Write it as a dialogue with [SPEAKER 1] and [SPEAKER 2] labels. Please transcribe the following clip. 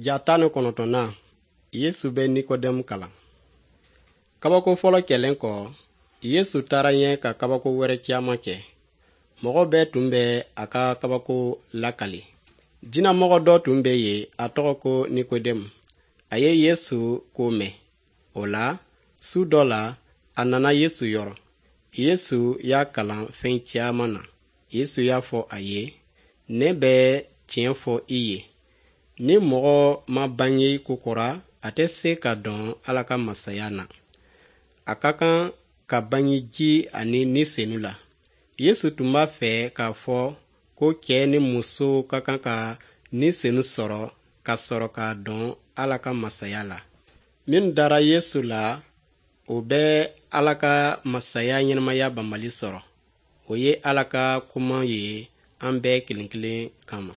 [SPEAKER 1] Ja 19nan, Yesu bɛ Nikodɛmu kalan. Kabako fɔlɔ kɛlen kɔ, Yesu taara ɲɛ ka kabako wɛrɛ caman kɛ. Mɔgɔ bɛɛ tun bɛ a ka kabako lakali. Jinɛmɔgɔ dɔ tun bɛ yen, a tɔgɔ ko Nikodɛmu. A ye Yesu ko mɛn. O la, su dɔ la, a nana Yesu yɔrɔ. Yesu y'a kalan fɛn caman na. Yesu y'a fɔ a ye, ne bɛ tiɲɛ fɔ i ye. Ni mɔgɔ ma bange kokura, a tɛ se ka don Ala ka masaya na. A ka kan ka bange ji ani Ni Senu la. Yesu tun b'a fɛ k'a fɔ ko cɛ ni muso ka kan ka Ni Senu sɔrɔ ka sɔrɔ ka don Ala ka masaya la. Minnu dara Yesu la, o bɛ Ala ka masaya ɲɛnamaya banbali sɔrɔ. O ye Ala ka kuma ye an bɛɛ kelen kelen kama.